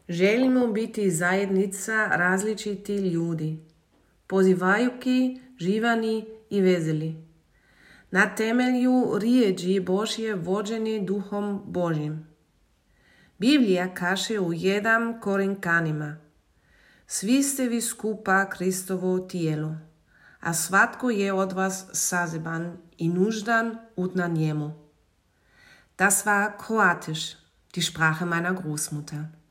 Želimo biti zajednica različitih ljudi, pozivajući, živani i veseli. Na temelju riječi Božje vođeni Duhom Božjim. Biblija kaže u 1 Korinčanima: svi ste vi skupa Kristovo tijelo, a svatko je od vas zaseban i nuždan na njemu. Das war Kroatisch, die Sprache meiner Großmutter.